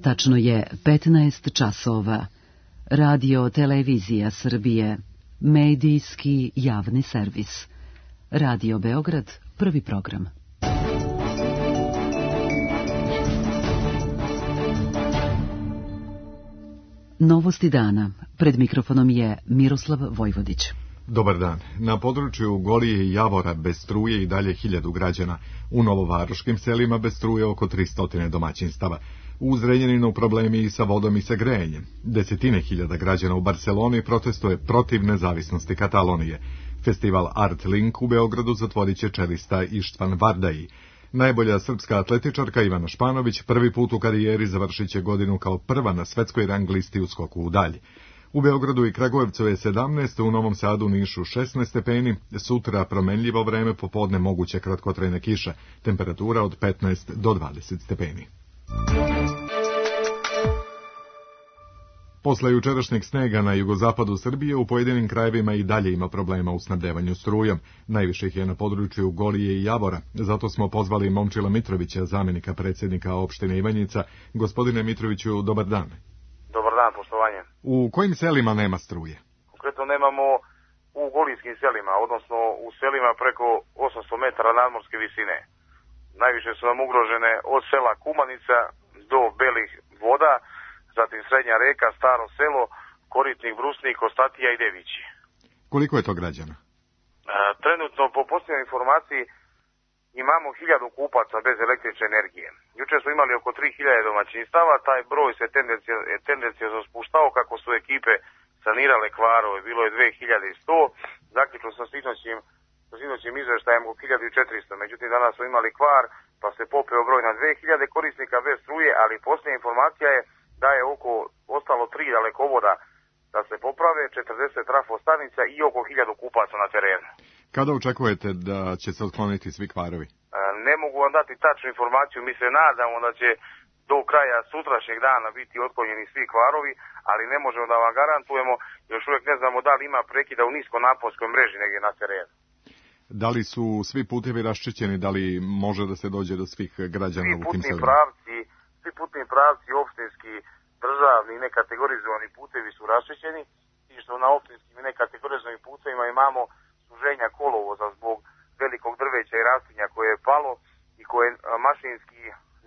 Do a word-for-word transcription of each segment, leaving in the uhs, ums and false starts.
Tačno je petnaest časova. Radio Televizija Srbije. Medijski javni servis. Radio Beograd, prvi program. Novosti dana. Pred mikrofonom je Miroslav Vojvodić. Dobar dan. Na području Golije i Javora bez struje i dalje hiljadu građana. U novovaroškim selima bez struje oko tristo domaćinstava. U Zrenjaninu problemi i sa vodom i sa grejanjem. Desetine hiljada građana u Barseloni protestuje protiv nezavisnosti Katalonije. Festival Art Link u Beogradu zatvorit će čelista Ištvan Vardaji. Najbolja srpska atletičarka Ivana Španović prvi put u karijeri završit će godinu kao prva na svetskoj rang listi u skoku u dalj. U Beogradu i Kragujevcu je sedamnaest, u Novom Sadu, Nišu šesnaest stepeni, sutra promenljivo vreme, popodne moguće kratkotrajna kiša, temperatura od petnaest do dvadeset stepeni. Posle jučerašnjeg snega na jugozapadu Srbije u pojedinim krajevima i dalje ima problema u snabdevanju strujom. Najviše ih je na području Golije i Javora. Zato smo pozvali Momčila Mitrovića, zamjenika predsjednika opštine Ivanjica. Gospodine Mitroviću, dobar dan. Dobar dan, poštovanje. U kojim selima nema struje? Konkretno nemamo u golijskim selima, odnosno u selima preko osamsto metara nadmorske visine. Najviše su nam ugrožene od sela Kumanica do Belih voda, zatim Srednja reka, Staro selo, Koritnik, Brusnik, Ostatija i Devići. Koliko je to građana? E, trenutno, po posljednjoj informaciji, imamo hiljadu kupaca bez električne energije. Juče smo imali oko tri hiljade domaćinstava, taj broj se tendencijozno spuštao kako su ekipe sanirale kvarove, bilo je dve hiljade sto, zaključno sa sinoćim, sa sinoćim izveštajem oko hiljadu četiristo, međutim danas smo imali kvar, pa se popeo broj na dve hiljade korisnika bez struje, ali posljednja informacija je da je oko ostalo tri dalekovoda da se poprave, četrdeset trafostanica i oko hiljadu kupaca na terenu. Kada očekujete da će se otkloniti svi kvarovi? Ne mogu vam dati tačnu informaciju, mi se nadamo da će do kraja sutrašnjeg dana biti otklonjeni svi kvarovi, ali ne možemo da vam garantujemo, još uvijek ne znamo da li ima prekida u niskonaponskoj mreži negdje na terenu. Da li su svi putevi raščišćeni, da li može da se dođe do svih građana u tim selima? Pravci, svi putni pravci, opštinski, državni i nekategorizovani putevi su raščišćeni, i što na opštinskim i nekategorizovanim putevima imamo suženja kolovoza zbog velikog drveća i rastinja koje je palo i koje mašinski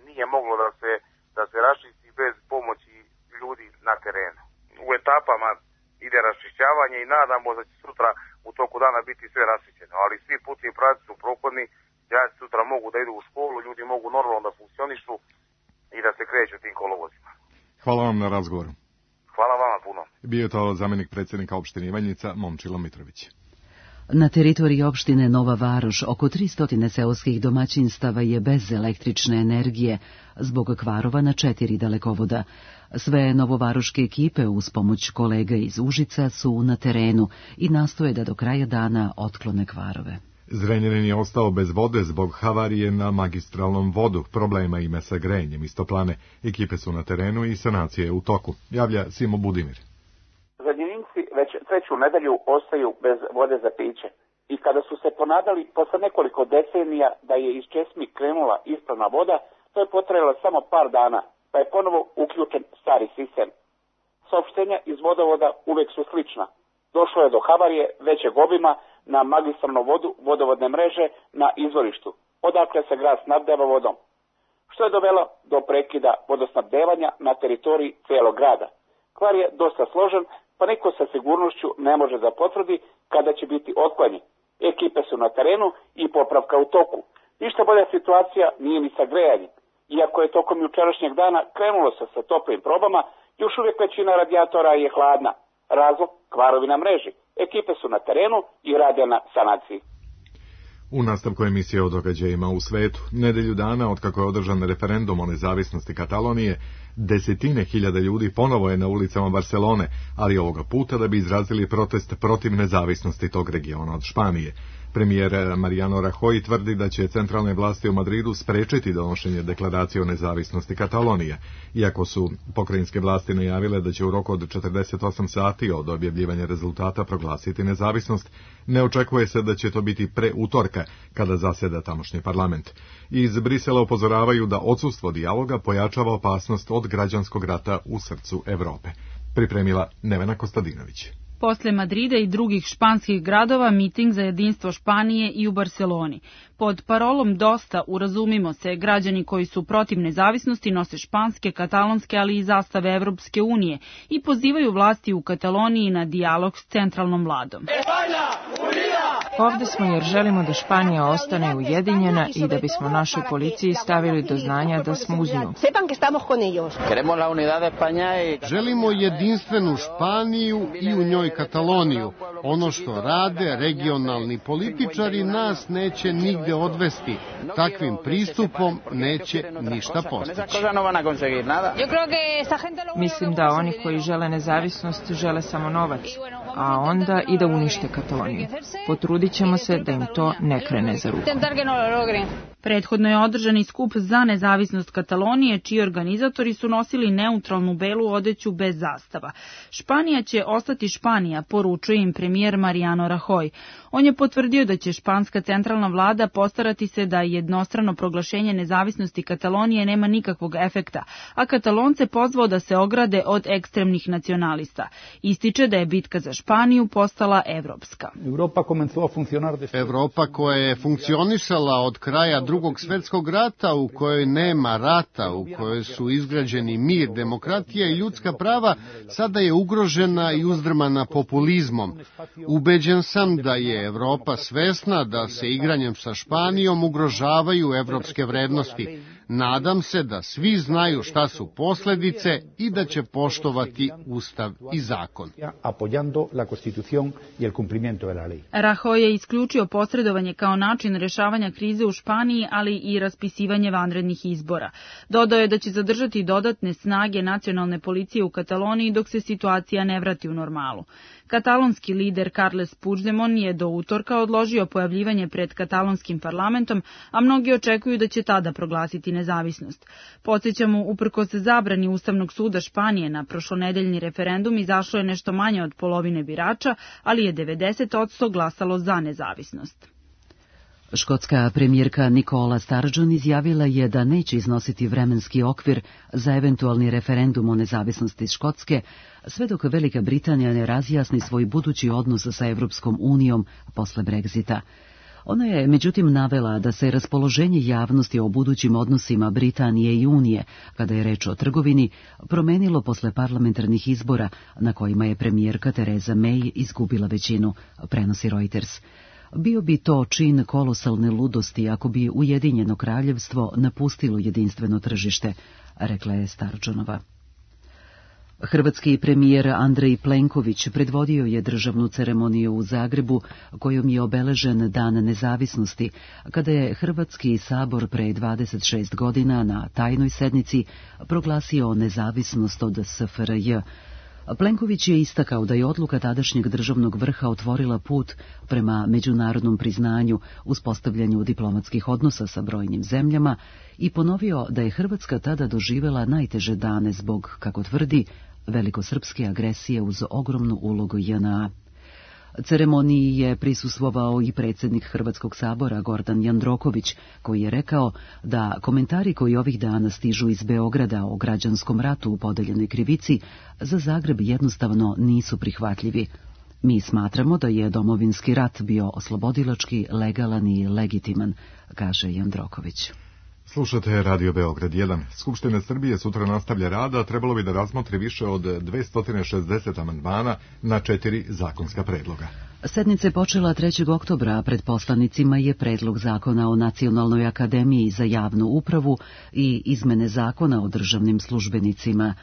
nije moglo da se, da se raščisti bez pomoći ljudi na terenu. U etapama ide raščišćavanje i nadamo da će sutra u toku dana biti sve raščišćeno, ali svi putni pravci su prohodni, đaci sutra mogu da idu u školu, ljudi mogu normalno da funkcionišu i da se kreću tim kolovozima. Hvala vam na razgovoru. Hvala vama puno. Bio je to zamjenik predsjednika opštine Ivanjica, Momčilo Mitrović. Na teritoriji opštine Nova Varoš oko tristo seoskih domaćinstava je bez električne energije zbog kvarova na četiri dalekovoda. Sve novovaroške ekipe uz pomoć kolega iz Užica su na terenu i nastoje da do kraja dana otklone kvarove. Zrenjanin je ostao bez vode zbog havarije na magistralnom vodu. Problema ima sa grejanjem iz toplane. Ekipe su na terenu i sanacija je u toku. Javlja Simo Budimir. Zrenjaninci već treću nedelju ostaju bez vode za piće. I kada su se ponadali posle nekoliko decenija da je iz česmi krenula ispravna voda, to je potrajalo samo par dana, pa je ponovo uključen stari sistem. Saopštenja iz vodovoda uvek su slična. Došlo je do havarije većeg obima na magistralnu vodu vodovodne mreže na izvorištu, odakle se grad snabdeva vodom, što je dovelo do prekida vodosnabdevanja na teritoriji cijelog grada. Kvar je dosta složen, pa niko sa sigurnošću ne može da potvrdi kada će biti otklonjen. Ekipe su na terenu i popravka u toku. Ništa bolja situacija nije ni sa grejanjem. Iako je tokom jučerašnjeg dana krenulo se sa toplim probama, još uvijek većina radijatora je hladna. Razlog, kvarovi na mreži. Ekipe su na terenu i rade na sanaciji. U nastavku emisije o događajima u svetu, nedelju dana od kako je održan referendum o nezavisnosti Katalonije, desetine hiljada ljudi ponovo je na ulicama Barselone, ali ovoga puta da bi izrazili protest protiv nezavisnosti tog regiona od Španije. Premijer Mariano Rajoy tvrdi da će centralne vlasti u Madridu sprečiti donošenje deklaracije o nezavisnosti Katalonije, iako su pokrajinske vlasti najavile da će u roku od četrdeset osam sati od objavljivanja rezultata proglasiti nezavisnost. Ne očekuje se da će to biti pre utorka, kada zaseda tamošnji parlament. Iz Brisela upozoravaju da odsustvo dijaloga pojačava opasnost od građanskog rata u srcu Evrope. Pripremila Nevena Kostadinović. Posle Madrida i drugih španskih gradova miting za jedinstvo Španije i u Barseloni. Pod parolom Dosta, urazumimo se, građani koji su protiv nezavisnosti nose španske, katalonske, ali i zastave Evropske unije i pozivaju vlasti u Kataloniji na dijalog s centralnom vladom. Ovde smo jer želimo da Španija ostane ujedinjena i da bismo našoj policiji stavili do znanja da smo uz nju. Želimo jedinstvenu Španiju i u njoj Kataloniju. Ono što rade regionalni političari nas neće nigde odvesti. Takvim pristupom neće ništa postići. Mislim da oni koji žele nezavisnost žele samo novac, a onda i da unište Kataloniju. Potrudit ćemo se da im to ne krene za ruku. Prethodno je održan i skup za nezavisnost Katalonije, čiji organizatori su nosili neutralnu belu odeću bez zastava. Španija će ostati Španija, poručuje im premijer Mariano Rajoy. On je potvrdio da će španska centralna vlada postarati se da jednostrano proglašenje nezavisnosti Katalonije nema nikakvog efekta, a Katalonce pozvao da se ograde od ekstremnih nacionalista. Ističe da je bitka za Španiju postala evropska. Evropa koja je funkcionisala od kraja drugog svjetskog rata, u kojoj nema rata, u kojoj su izgrađeni mir, demokratija i ljudska prava, sada je ugrožena i uzdrmana populizmom. Ubeđen sam da je Evropa svesna da se igranjem sa Španijom ugrožavaju evropske vrednosti. Nadam se da svi znaju šta su posljedice i da će poštovati Ustav i zakon. Rajoy je isključio posredovanje kao način rešavanja krize u Španiji, ali i raspisivanje vanrednih izbora. Dodao je da će zadržati dodatne snage nacionalne policije u Kataloniji dok se situacija ne vrati u normalu. Katalonski lider Carles Puigdemont je do utorka odložio pojavljivanje pred katalonskim parlamentom, a mnogi očekuju da će tada proglasiti nezavisnost. Podsjećamo, uprkos zabrani Ustavnog suda Španije na prošlonedeljni referendum izašlo je nešto manje od polovine birača, ali je devedeset posto glasalo za nezavisnost. Škotska premijerka Nicola Sturgeon izjavila je da neće iznositi vremenski okvir za eventualni referendum o nezavisnosti Škotske, sve dok Velika Britanija ne razjasni svoj budući odnos sa Evropskom unijom posle Brexita. Ona je međutim navela da se raspoloženje javnosti o budućim odnosima Britanije i Unije, kada je reč o trgovini, promenilo posle parlamentarnih izbora na kojima je premijerka Theresa May izgubila većinu, prenosi Reuters. Bio bi to čin kolosalne ludosti ako bi Ujedinjeno kraljevstvo napustilo jedinstveno tržište, rekla je Sturgeonova. Hrvatski premijer Andrej Plenković predvodio je državnu ceremoniju u Zagrebu kojom je obeležen Dan nezavisnosti, kada je Hrvatski sabor pre dvadeset šest godina na tajnoj sednici proglasio nezavisnost od S F R J. Plenković je istakao da je odluka tadašnjeg državnog vrha otvorila put prema međunarodnom priznanju, uspostavljanju diplomatskih odnosa sa brojnim zemljama i ponovio da je Hrvatska tada doživela najteže dane zbog, kako tvrdi, velikosrpske agresije uz ogromnu ulogu J N A. Ceremoniji je prisustvovao i predsjednik Hrvatskog sabora Gordan Jandroković, koji je rekao da komentari koji ovih dana stižu iz Beograda o građanskom ratu u podeljenoj krivici za Zagreb jednostavno nisu prihvatljivi. Mi smatramo da je domovinski rat bio oslobodilački, legalan i legitiman, kaže Jandroković. Slušate Radio Beograd jedan. Skupština Srbije sutra nastavlja rad, a trebalo bi da razmotri više od dvesta šezdeset amandmana na četiri zakonska predloga. Sednica je počela trećeg oktobra, a pred poslanicima je predlog zakona o Nacionalnoj akademiji za javnu upravu i izmene zakona o državnim službenicima.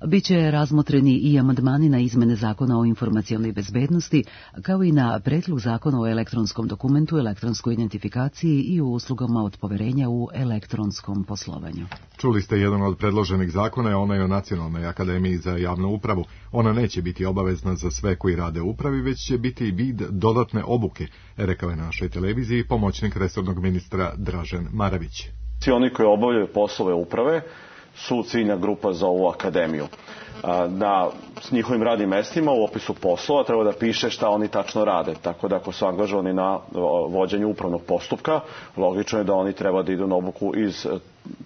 Biće razmotreni i amandmani na izmene zakona o informacionoj bezbednosti, kao i na predlog zakona o elektronskom dokumentu, elektronskoj identifikaciji i o uslugama od poverenja u elektronskom poslovanju. Čuli ste jedan od predloženih zakona, je onaj o Nacionalnoj akademiji za javnu upravu. Ona neće biti obavezna za sve koji rade u upravi, već će biti vid dodatne obuke, rekao je našoj televiziji pomoćnik resornog ministra Dražen Maravić. Svi oni koji obavljaju poslove uprave su ciljna grupa za ovu akademiju. Na s njihovim radnim mestima u opisu poslova treba da piše šta oni tačno rade. Tako da ako su angažovani na vođenju upravnog postupka, logično je da oni treba da idu na obuku iz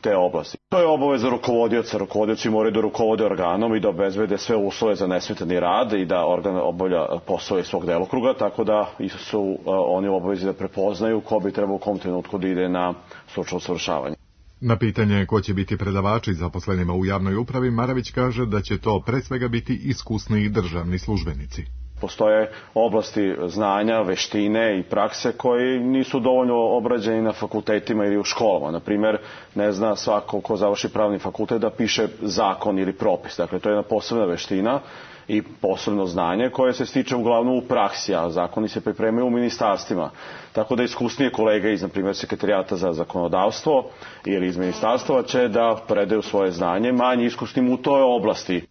te oblasti. To je obaveza rukovodioca. Rukovodioci moraju da rukovode organom i da obezbede sve uslove za nesmetani rad i da organ obavlja poslove iz svog delokruga, tako da su oni u obavezi da prepoznaju ko bi trebao u kom trenutku da ide na stručno usavršavanje. Na pitanje ko će biti predavači zaposlenima u javnoj upravi, Maravić kaže da će to pre svega biti iskusni državni službenici. Postoje oblasti znanja, veštine i prakse koji nisu dovoljno obrađeni na fakultetima ili u školama. Naprimer, ne zna svako ko završi pravni fakultet da piše zakon ili propis. Dakle, to je jedna posebna veština i posebno znanje koje se stiče uglavnom u praksi, a zakoni se pripremaju u ministarstvima. Tako da iskusnije kolege iz, na primjer, Sekretarijata za zakonodavstvo ili iz ministarstva će da predaju svoje znanje manje iskusnim u toj oblasti.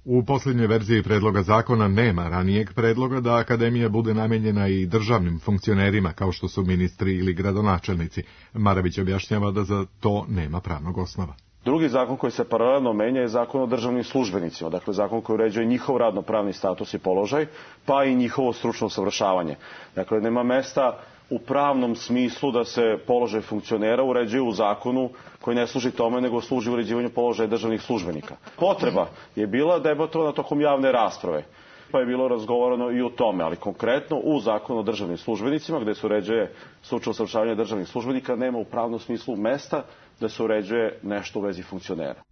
U posljednjoj verziji predloga zakona nema ranijeg predloga da akademija bude namenjena i državnim funkcionerima kao što su ministri ili gradonačelnici. Maravić objašnjava da za to nema pravnog osnova. Drugi zakon koji se paralelno menja je zakon o državnim službenicima, dakle zakon koji uređuje njihov radno-pravni status i položaj, pa i njihovo stručno usavršavanje. Dakle, nema mesta u pravnom smislu da se položaj funkcionera uređuje u zakonu koji ne služi tome, nego služi uređivanju položaja državnih službenika. Potreba je bila debatovana tokom javne rasprave, pa je bilo razgovorano i o tome, ali konkretno u zakonu o državnim službenicima, gde se uređuje stručno usavršavanje državnih službenika, nema u pravnom smislu mesta da se uređuje nešto u vezi funkcionera.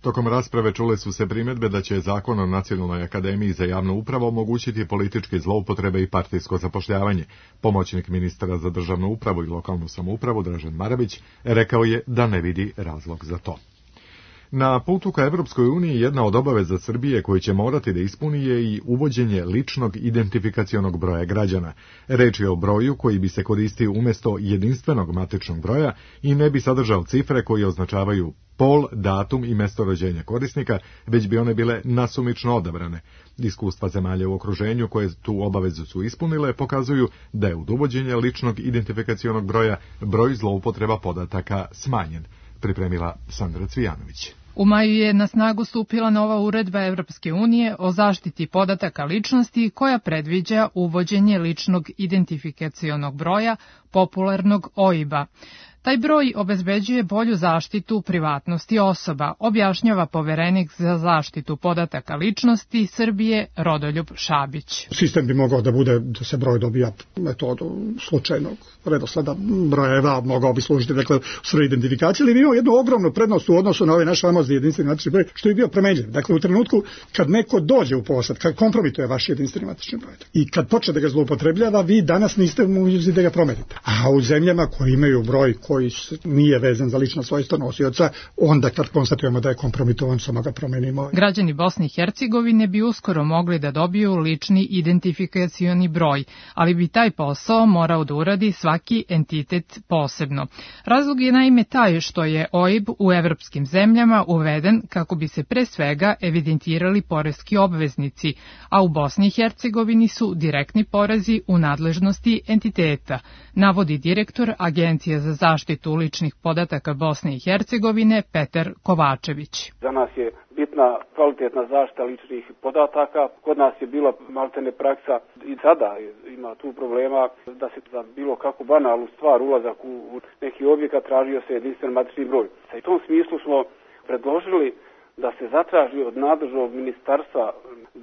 Tokom rasprave čule su se primjedbe da će zakon o Nacionalnoj akademiji za javnu upravu omogućiti političke zloupotrebe i partijsko zapošljavanje. Pomoćnik ministra za državnu upravu i lokalnu samoupravu Dražen Maravić rekao je da ne vidi razlog za to. Na putu ka Evropskoj uniji jedna od obaveza Srbije koju će morati da ispuni je i uvođenje ličnog identifikacionog broja građana. Reč je o broju koji bi se koristio umjesto jedinstvenog matičnog broja i ne bi sadržao cifre koje označavaju pol, datum i mesto rođenja korisnika, već bi one bile nasumično odabrane. Iskustva zemalja u okruženju koje tu obavezu su ispunile pokazuju da je od uvođenja ličnog identifikacionog broja broj zloupotreba podataka smanjen. Pripremila Sandra Cvijanović. U maju je na snagu stupila nova uredba Evropske unije o zaštiti podataka ličnosti koja predviđa uvođenje ličnog identifikacionog broja, popularnog O I B-a. Taj broj obezbeđuje bolju zaštitu privatnosti osoba, objašnjava poverenik za zaštitu podataka ličnosti Srbije Rodoljub Šabić. Sistem bi mogao da bude da se broj dobija metodu slučajnog redosleda brojeva, mogao bi služiti dakle u svrhu identifikacije, ali imao jednu ogromnu prednost u odnosu na ovaj naš famozni jedinstveni matični broj, što je bio promenljiv. Dakle, u trenutku kad neko dođe u posed, kad kompromituje vaš jedinstveni matični broj i kad počne da ga zloupotrebljava, vi danas niste mogući da ga promenite. A u zemljama koje imaju broj koji nije vezan za lično svojstvo nosioca, onda kad konstatujemo da je kompromitovan, samo ga promenimo. Građani Bosne i Hercegovine bi uskoro mogli da dobiju lični identifikacioni broj, ali bi taj posao morao da uradi svaki entitet posebno. Razlog je naime taj što je O I B u evropskim zemljama uveden kako bi se pre svega evidentirali poreski obveznici, a u Bosni i Hercegovini su direktni porezi u nadležnosti entiteta, navodi direktor Agencije za zaštitu ličnih podataka Bosne i Hercegovine Petar Kovačević. Za nas je bitna kvalitetna zaštita ličnih podataka. Kod nas je bila maltene praksa i sada ima tu problema da se za bilo kakvu banalnu stvar, ulazak u neki objekat, tražio se jedinstven matični broj. U tom smislu smo predložili da se zatraži od nadležnog ministarstva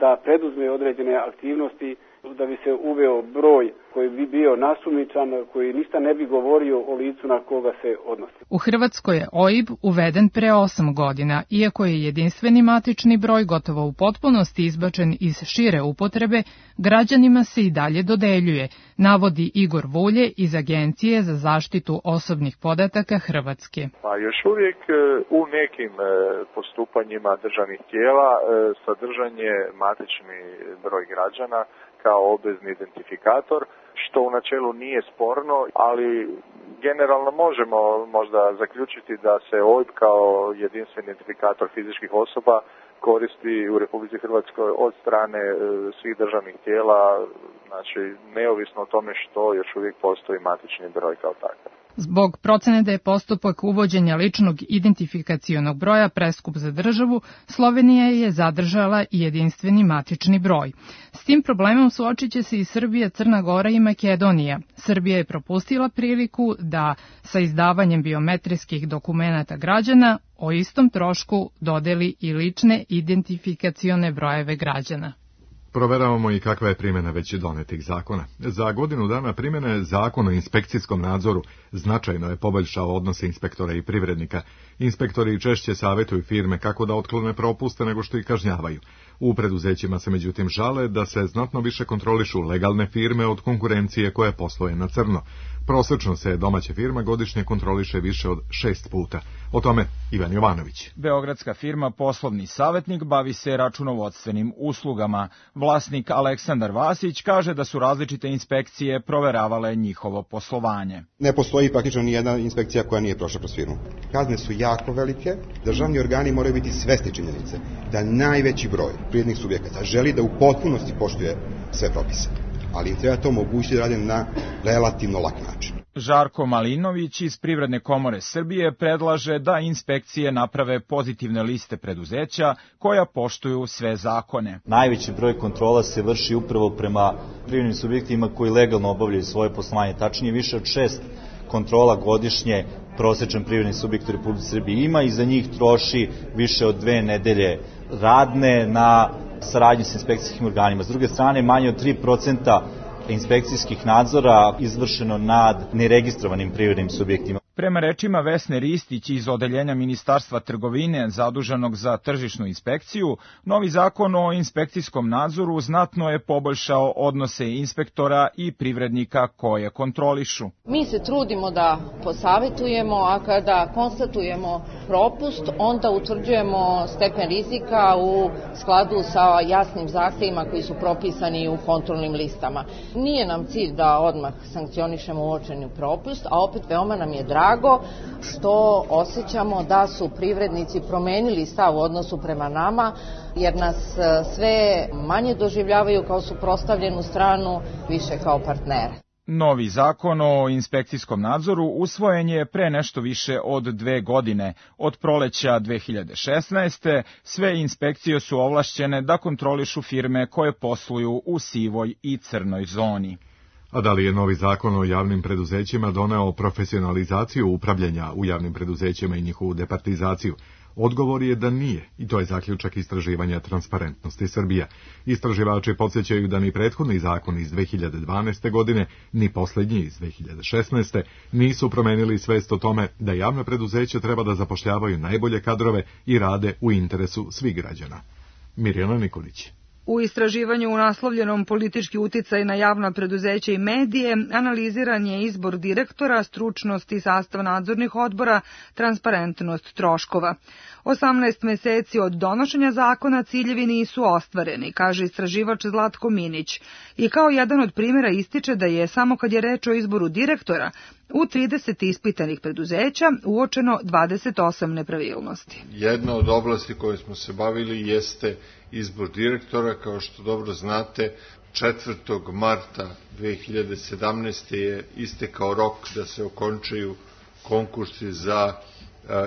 da preduzme određene aktivnosti da bi se uveo broj koji bi bio nasumičan, koji ništa ne bi govorio o licu na koga se odnosi. U Hrvatskoj je O I B uveden pre osam godina, iako je jedinstveni matični broj gotovo u potpunosti izbačen iz šire upotrebe, građanima se i dalje dodeljuje, navodi Igor Vulje iz Agencije za zaštitu osobnih podataka Hrvatske. Pa još uvijek u nekim postupanjima državnih tijela sadržanje matični broj građana kao obvezni identifikator, što u načelu nije sporno, ali generalno možemo možda zaključiti da se O I B kao jedinstveni identifikator fizičkih osoba koristi u Republici Hrvatskoj od strane svih državnih tijela, znači neovisno o tome što još uvijek postoji matični broj kao takav. Zbog procene da je postupak uvođenja ličnog identifikacionog broja preskup za državu, Slovenija je zadržala i jedinstveni matični broj. S tim problemom suočit će se i Srbija, Crna Gora i Makedonija. Srbija je propustila priliku da sa izdavanjem biometrijskih dokumenata građana o istom trošku dodeli i lične identifikacione brojeve građana. Proveravamo i kakva je primjena već donetih zakona. Za godinu dana primjene Zakon o inspekcijskom nadzoru značajno je poboljšao odnose inspektora i privrednika. Inspektori češće savjetuju firme kako da otklone propuste nego što ih kažnjavaju. U preduzećima se međutim žale da se znatno više kontrolišu legalne firme od konkurencije koja posluje na crno. Prosečno se domaća firma godišnje kontroliše više od šest puta. O tome Ivan Jovanović. Beogradska firma Poslovni savjetnik bavi se računovodstvenim uslugama. Vlasnik Aleksandar Vasić kaže da su različite inspekcije proveravale njihovo poslovanje. Ne postoji praktično ni jedna inspekcija koja nije prošla kroz firmu. Kazne su jako velike, državni organi moraju biti svesni činjenice da najveći broj privrednih subjekata želi da u potpunosti poštuje sve propise, ali im treba to omogućiti da rade na relativno lak način. Žarko Malinović iz Privredne komore Srbije predlaže da inspekcije naprave pozitivne liste preduzeća koja poštuju sve zakone. Najveći broj kontrola se vrši upravo prema privrednim subjektima koji legalno obavljaju svoje poslovanje, tačnije više od šest kontrola godišnje prosječan privredni subjekt u Republici Srbiji ima i za njih troši više od dve nedelje radne na saradnji s inspekcijskim organima. S druge strane, manje od tri procenta inspekcijskih nadzora izvršeno nad neregistrovanim privrednim subjektima. Prema rečima Vesne Ristić iz Odeljenja Ministarstva trgovine zaduženog za tržišnu inspekciju, novi zakon o inspekcijskom nadzoru znatno je poboljšao odnose inspektora i privrednika koje kontrolišu. Mi se trudimo da posavetujemo, a kada konstatujemo propust, onda utvrđujemo stepen rizika u skladu sa jasnim zahtevima koji su propisani u kontrolnim listama. Nije nam cilj da odmah sankcionišemo uočeni propust, a opet veoma nam je drago što osjećamo da su privrednici promenili stav u odnosu prema nama, jer nas sve manje doživljavaju kao suprotstavljenu stranu, više kao partnere. Novi zakon o inspekcijskom nadzoru usvojen je pre nešto više od dve godine. Od proleća dve hiljade šesnaeste. sve inspekcije su ovlašćene da kontrolišu firme koje posluju u sivoj i crnoj zoni. A da li je novi zakon o javnim preduzećima doneo profesionalizaciju upravljanja u javnim preduzećima i njihovu departizaciju? Odgovor je da nije, i to je zaključak istraživanja Transparentnosti Srbija. Istraživači podsjećaju da ni prethodni zakon iz dve hiljade dvanaeste. godine, ni posljednji iz dve hiljade šesnaeste. nisu promenili svest o tome da javne preduzeće treba da zapošljavaju najbolje kadrove i rade u interesu svih građana. Mirjana Nikolić. U istraživanju unaslovljenom politički uticaj na javna preduzeća i medije analiziran je izbor direktora, stručnost i sastav nadzornih odbora, transparentnost troškova. osamnaest meseci od donošenja zakona ciljevi nisu ostvareni, kaže istraživač Zlatko Minić. I kao jedan od primjera ističe da je samo kad je reč o izboru direktora, u trideset ispitanih preduzeća uočeno dvadeset osam nepravilnosti. Jedna od oblasti koje smo se bavili jeste izbor direktora. Kao što dobro znate, četvrtog marta dve hiljade sedamnaeste. je istekao rok da se okončaju konkursi za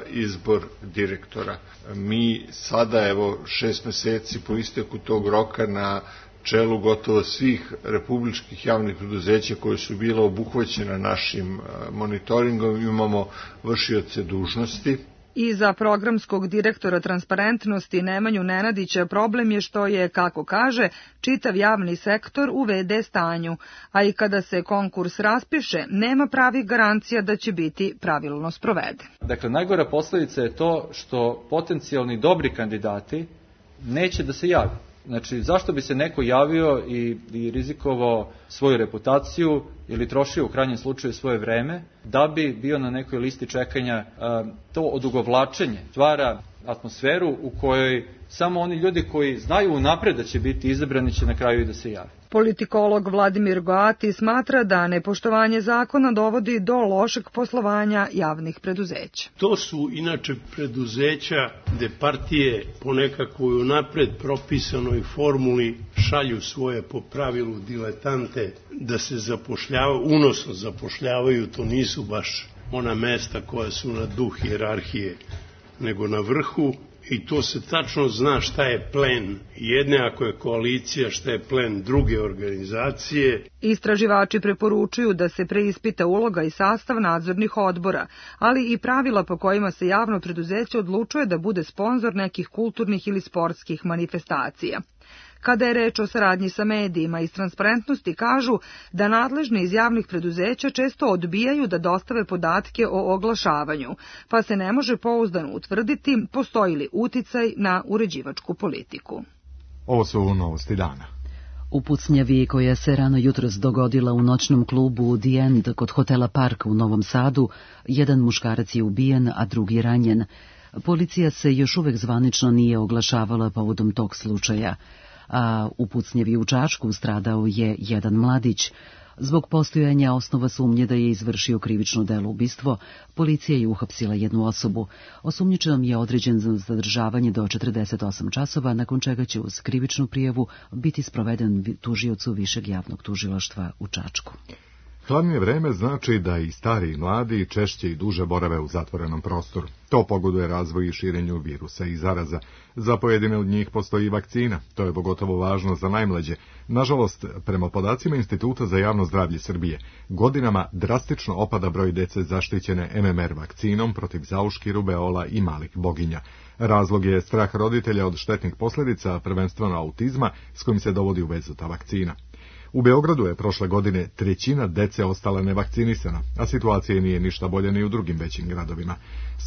izbor direktora. Mi sada, evo, šest meseci po isteku tog roka, na čelu gotovo svih republičkih javnih preduzeća koje su bila obuhvaćena našim monitoringom, imamo vršioce dužnosti I za programskog direktora transparentnosti Nemanju Nenadića problem je što je, kako kaže, čitav javni sektor u ve de stanju, a i kada se konkurs raspiše, nema pravih garancija da će biti pravilno sproveden. Dakle, najgora posledica je to što potencijalni dobri kandidati neće da se javi. Znači, zašto bi se neko javio i, i rizikovao svoju reputaciju ili trošio u krajnjem slučaju svoje vreme da bi bio na nekoj listi čekanja? To odugovlačenje stvara atmosferu u kojoj samo oni ljudi koji znaju unapred da će biti izabrani će na kraju i da se jave. Politikolog Vladimir Goati smatra da nepoštovanje zakona dovodi do lošeg poslovanja javnih preduzeća. To su inače preduzeća gde partije po nekakvoj unapred propisanoj formuli šalju svoje po pravilu diletante da se zapošljavaju, unosno zapošljavaju, to nisu baš ona mesta koja su na duh hijerarhije, nego na vrhu. I to se tačno zna šta je plen jedne, ako je koalicija, šta je plen druge organizacije. Istraživači preporučuju da se preispita uloga i sastav nadzornih odbora, ali i pravila po kojima se javno preduzeće odlučuje da bude sponzor nekih kulturnih ili sportskih manifestacija. Kada je reč o saradnji sa medijima iz transparentnosti, kažu da nadležni iz javnih preduzeća često odbijaju da dostave podatke o oglašavanju, pa se ne može pouzdano utvrditi postoji li uticaj na uređivačku politiku. Ovo su novosti dana. U pucnjavi koja se rano jutros dogodila u noćnom klubu The End kod hotela Park u Novom Sadu, jedan muškarac je ubijen, a drugi ranjen. Policija se još uvek zvanično nije oglašavala povodom tog slučaja, a u pucnjavi u Čačku stradao je jedan mladić. Zbog postojanja osnova sumnje da je izvršio krivično delo ubistvo, policija je uhapsila jednu osobu. Osumnjičenom je određen za zadržavanje do četrdeset osam časova, nakon čega će uz krivičnu prijavu biti sproveden tužiocu Višeg javnog tužilaštva u Čačku. Hladnije vreme znači da i stari i mladi češće i duže borave u zatvorenom prostoru. To pogoduje razvoju i širenju virusa i zaraza. Za pojedine od njih postoji vakcina. To je pogotovo važno za najmlađe. Nažalost, prema podacima Instituta za javno zdravlje Srbije, godinama drastično opada broj dece zaštićene em em er vakcinom protiv zauški, rubeola i malih boginja. Razlog je strah roditelja od štetnih posljedica, prvenstveno autizma, s kojim se dovodi u vezu ta vakcina. U Beogradu je prošle godine trećina dece ostala nevakcinisana, a situacija nije ništa bolja ni u drugim većim gradovima.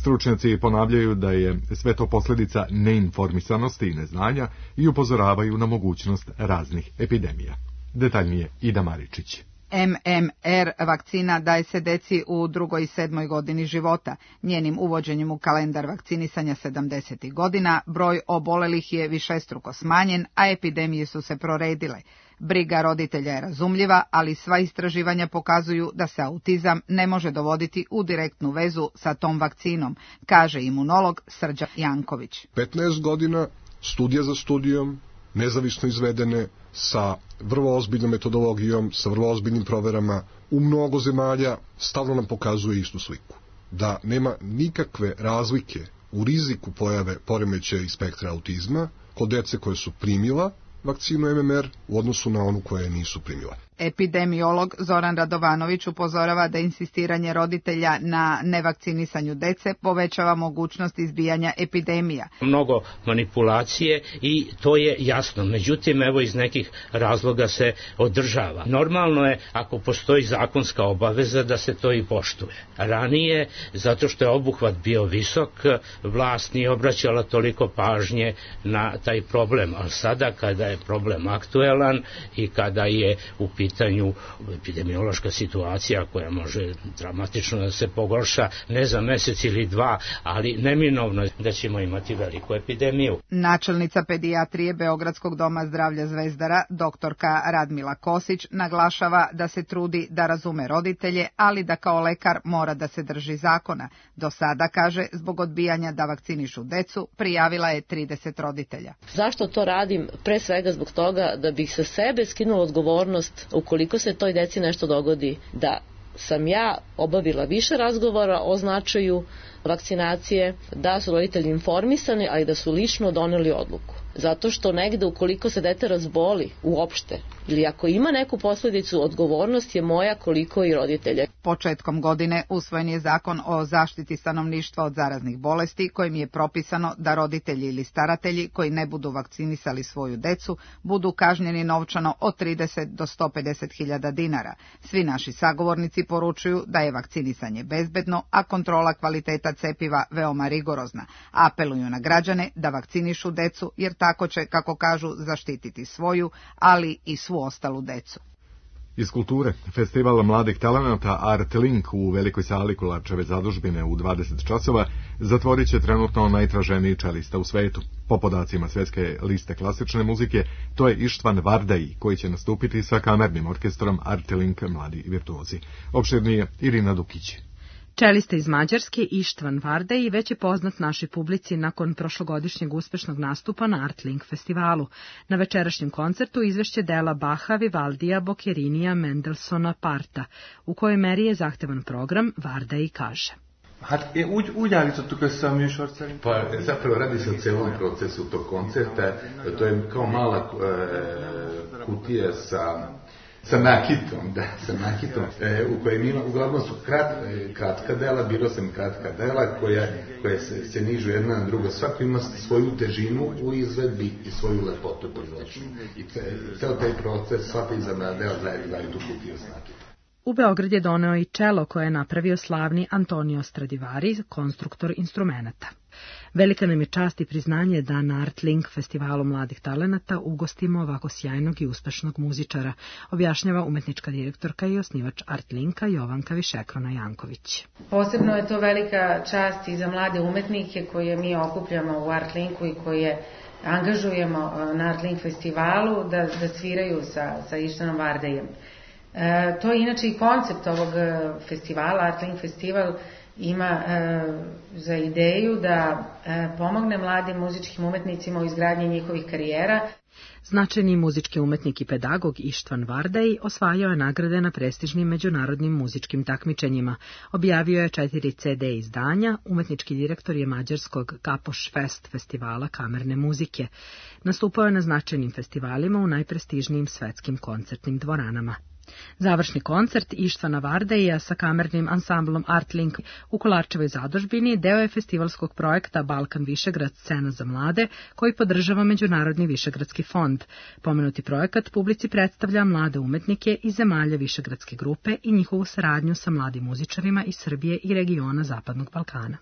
Stručnjaci ponavljaju da je sve to posljedica neinformisanosti i neznanja i upozoravaju na mogućnost raznih epidemija. Detaljnije Ida Maričić. em em er vakcina daje se deci u drugoj i sedmoj godini života. Njenim uvođenjem u kalendar vakcinisanja sedamdesetih godina broj obolelih je višestruko smanjen, a epidemije su se proredile. Briga roditelja je razumljiva, ali sva istraživanja pokazuju da se autizam ne može dovoditi u direktnu vezu sa tom vakcinom, kaže imunolog Srđan Janković. petnaest godina, studija za studijom, nezavisno izvedene, sa vrlo ozbiljnom metodologijom, sa vrlo ozbiljnim proverama, u mnogo zemalja stalno nam pokazuje istu sliku. Da nema nikakve razlike u riziku pojave poremećaja i spektra autizma kod dece koje su primila vakcinu em em er u odnosu na onu koje nisu primila. Epidemiolog Zoran Radovanović upozorava da insistiranje roditelja na nevakcinisanju dece povećava mogućnost izbijanja epidemija. Mnogo manipulacije i to je jasno. Međutim, evo iz nekih razloga se održava. Normalno je ako postoji zakonska obaveza da se to i poštuje. Ranije, zato što je obuhvat bio visok, vlast nije obraćala toliko pažnje na taj problem. Ali sada kada je problem aktuelan i kada je u pitanju epidemiološka situacija koja može dramatično da se pogorša ne za mesec ili dva, ali neminovno je da ćemo imati veliku epidemiju. Načelnica pedijatrije Beogradskog doma zdravlja Zvezdara, doktorka Radmila Kosić, naglašava da se trudi da razume roditelje, ali da kao lekar mora da se drži zakona. Do sada, kaže, zbog odbijanja da vakcinišu decu, prijavila je trideset roditelja. Zašto to radim? Pre svega zbog toga da bih sa sebe skinula odgovornost ukoliko se toj deci nešto dogodi, da sam ja obavila više razgovora o značaju vakcinacije, da su roditelji informisani, ali da su lično doneli odluku. zato što negde ukoliko se dete razboli uopšte ili ako ima neku posledicu, odgovornost je moja koliko i roditelja. Početkom godine usvojen je zakon o zaštiti stanovništva od zaraznih bolesti kojim je propisano da roditelji ili staratelji koji ne budu vakcinisali svoju decu budu kažnjeni novčano od trideset do sto pedeset hiljada dinara. Svi naši sagovornici poručuju da je vakcinisanje bezbedno, a kontrola kvaliteta cepiva veoma rigorozna. Apeluju na građane da vakcinišu decu jer tako će, kako kažu, zaštititi svoju, ali i svu ostalu decu. Iz kulture, festival mladih talenata Art Link u velikoj sali Kolarčeve zadužbine u dvadeset časova zatvorit će trenutno najtraženiji čelista u svetu. Po podacima svjetske liste klasične muzike, to je Ištvan Vardai, koji će nastupiti sa kamernim orkestrom Art Link Mladi virtuozi. Opširnije Irina Dukić. Čelista iz Mađarske Ištvan Vardai već je poznat našoj publici nakon prošlogodišnjeg uspešnog nastupa na Art Link festivalu. Na večerašnjem koncertu izvešće dela Baha, Vivaldija, Bocherinija, Mendelsona, Parta. U kojoj meri je zahtevan program, Vardai kaže. Hát úgy, úgy állítottuk össze a műsort szerint. Pa zapravo radi se o celom procesu tog koncerta. To je kao mala e, kutija sa sa nakitom, da, sa nakitom, e, u kojem ima, uglavnom su krat, kratka dela, birao sam kratka dela koja, koja se, se nižu jedna na drugo. Svako ima svoju težinu u izvedbi i svoju lepotu proizvodnju. I ceo taj proces, svaka izabrana dela zajedno daju tu kutiju s nakitom. U Beograd je doneo i čelo koje je napravio slavni Antonio Stradivari, konstruktor instrumenata. Velika nam je čast i priznanje da na Art Link festivalu mladih talenata ugostimo ovako sjajnog i uspešnog muzičara, objašnjava umetnička direktorka i osnivač Art Linka Jovanka Višekrona Janković. Posebno je to velika čast i za mlade umetnike koje mi okupljamo u Art Linku i koje angažujemo na Art Link festivalu da, da sviraju sa, sa Ištvanom Vardaijem. E, to je inače i koncept ovog festivala, Art Link festival ima e, za ideju da e, pomogne mladim muzičkim umetnicima u izgradnji njihovih karijera. Značajni muzički umetnik i pedagog Ištvan Vardai osvajao je nagrade na prestižnim međunarodnim muzičkim takmičenjima. Objavio je četiri ce de izdanja, umetnički direktor je mađarskog Kapoš Fest festivala kamerne muzike. Nastupao je na značajnim festivalima u najprestižnijim svetskim koncertnim dvoranama. Završni koncert Ištvana Vardaija sa kamernim ansamblom Art Link u Kolarčevoj zadužbini deo je festivalskog projekta Balkan Višegrad scena za mlade, koji podržava Međunarodni Višegradski fond. Pomenuti projekat publici predstavlja mlade umetnike iz zemalja Višegradske grupe i njihovu saradnju sa mladim muzičarima iz Srbije i regiona Zapadnog Balkana.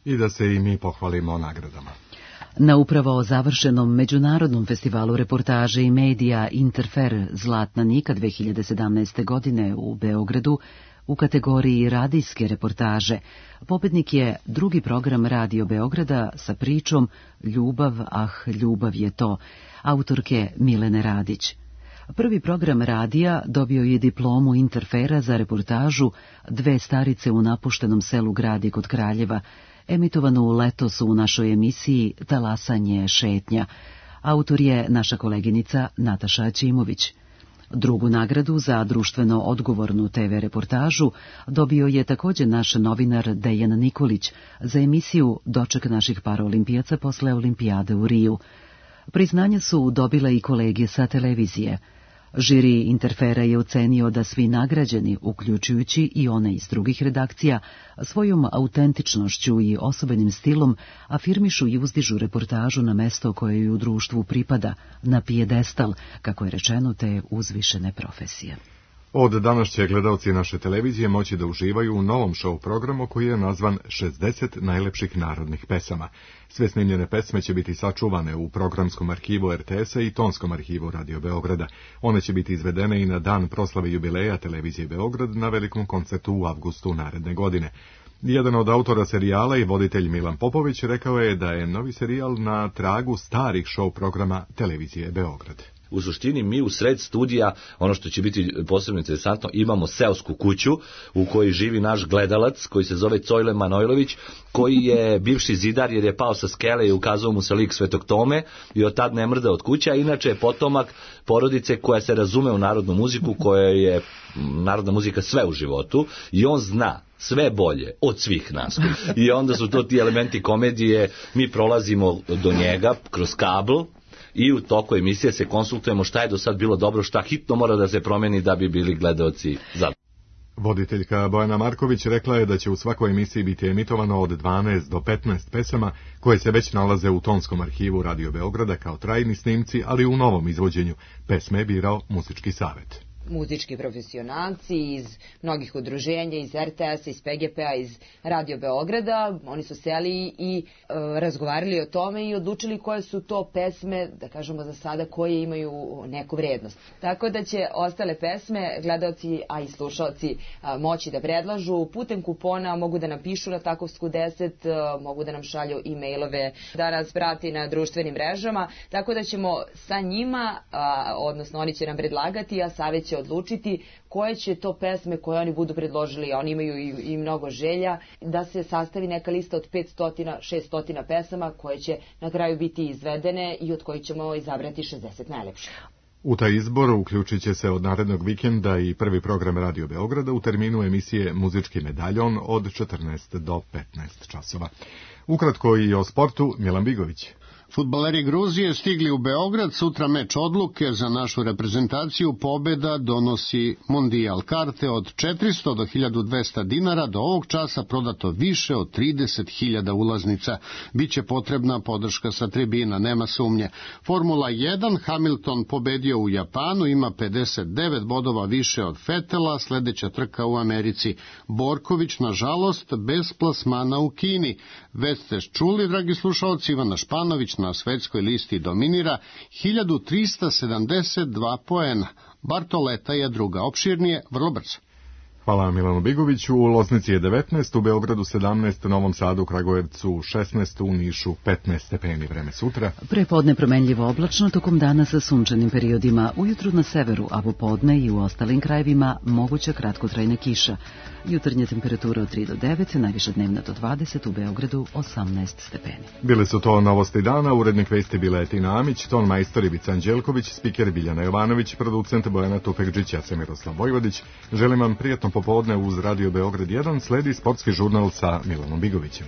I da se i mi pohvalimo nagradama. Na upravo završenom Međunarodnom festivalu reportaže i medija Interfer Zlatna Nika dve hiljade sedamnaeste. godine u Beogradu u kategoriji radijske reportaže pobednik je drugi program Radio Beograda sa pričom Ljubav, ah, ljubav je to, autorke Milene Radić. Prvi program radija dobio je diplomu Interfera za reportažu Dve starice u napuštenom selu Gradi kod Kraljeva, emitovanu letos u našoj emisiji Talasanje šetnja. Autor je naša koleginica Nataša Ćimović. Drugu nagradu za društveno odgovornu te ve reportažu dobio je također naš novinar Dejan Nikolić za emisiju Doček naših paraolimpijaca posle olimpijade u Riju. Priznanja su dobile i kolege sa televizije. Žiri Interfera je ocenio da svi nagrađeni, uključujući i one iz drugih redakcija, svojom autentičnošću i osobenim stilom afirmišu i uzdižu reportažu na mesto koje ju u društvu pripada, na pijedestal, kako je rečeno, te uzvišene profesije. Od danas će gledalci naše televizije moći da uživaju u novom show programu koji je nazvan šezdeset najlepših narodnih pesama. Sve snimljene pesme će biti sačuvane u programskom arhivu er te esa i tonskom arhivu Radio Beograda. One će biti izvedene i na dan proslave jubileja televizije Beograd na velikom koncertu u avgustu naredne godine. Jedan od autora serijala i voditelj Milan Popović rekao je da je novi serijal na tragu starih show programa televizije Beograd. U suštini mi u sred studija, ono što će biti posebno interesantno, imamo seosku kuću u kojoj živi naš gledalac koji se zove Cojle Manojlović, koji je bivši zidar jer je pao sa skele i ukazao mu se lik Svetog Tome i od tad ne mrda od kuća. Inače je potomak porodice koja se razume u narodnu muziku, koja je narodna muzika sve u životu i on zna sve bolje od svih nas. I onda su to ti elementi komedije, mi prolazimo do njega kroz kabl, i u toku emisije se konsultujemo šta je do sad bilo dobro, šta hitno mora da se promeni da bi bili gledaoci zadovoljni. Voditeljka Bojana Marković rekla je da će u svakoj emisiji biti emitovano od dvanaest do petnaest pesama koje se već nalaze u tonskom arhivu Radio Beograda kao trajni snimci, ali u novom izvođenju. Pesme je birao muzički savet. Muzički profesionalci iz mnogih udruženja, iz er te es, iz pe ge pe a, iz Radio Beograda. Oni su seli i e, razgovarali o tome i odlučili koje su to pesme, da kažemo za sada, koje imaju neku vrednost. Tako da će ostale pesme gledaoci, a i slušalci a, moći da predlažu putem kupona, mogu da nam pišu na Takovsku deset, a, mogu da nam šalju e-mailove, da nas prati na društvenim mrežama, tako da ćemo sa njima, a, odnosno oni će nam predlagati, a savjet će odlučiti koje će to pesme koje oni budu predložili, a oni imaju i, i mnogo želja, da se sastavi neka lista od petsto do šesto pesama koje će na kraju biti izvedene i od kojih ćemo izabrati šezdeset najlepših. U taj izbor uključit će se od narednog vikenda i prvi program Radio Beograda u terminu emisije Muzički medaljon od četrnaest do petnaest časova. Ukratko i o sportu, Milan Bigović. Fudbaleri Gruzije stigli u Beograd, sutra meč odluke za našu reprezentaciju, pobeda donosi mondijal. Karte od četiristo do hiljadu dvesta dinara, do ovog časa prodato više od trideset hiljada ulaznica. Biće potrebna podrška sa tribina, nema sumnje. Formula jedan, Hamilton pobedio u Japanu, ima pedeset devet bodova više od Fetela, sledeća trka u Americi. Borković, nažalost, bez plasmana u Kini. Već ste čuli, dragi slušalci, Ivana Španović na svetskoj listi dominira, hiljadu trista sedamdeset dva poena. Bartoleta je druga, opširnije, vrlo brzo. Hvala Milanu Bigoviću. U Loznici je devetnaest, u Beogradu sedamnaest, u Novom Sadu, u Kragujevcu šesnaest, u Nišu petnaest stepeni. Vreme sutra. Prepodne promenljivo oblačno, tokom dana sa sunčanim periodima. Ujutru na severu, a popodne i u ostalim krajevima moguća kratkotrajna kiša. Jutarnja temperatura od tri do devet, najviša dnevna do dvadeset, u Beogradu osamnaest stepeni. Bile su to novosti dana, urednik vesti Biletina Amić, ton majstor Ivica Anđelković, spiker Biljana Jovanović, producent Bojana Tufekđić, ja sam Miroslav Vojvodić. Želim vam prijatno popodne uz Radio Beograd jedan, sledi sportski žurnal sa Milanom Bigovićem.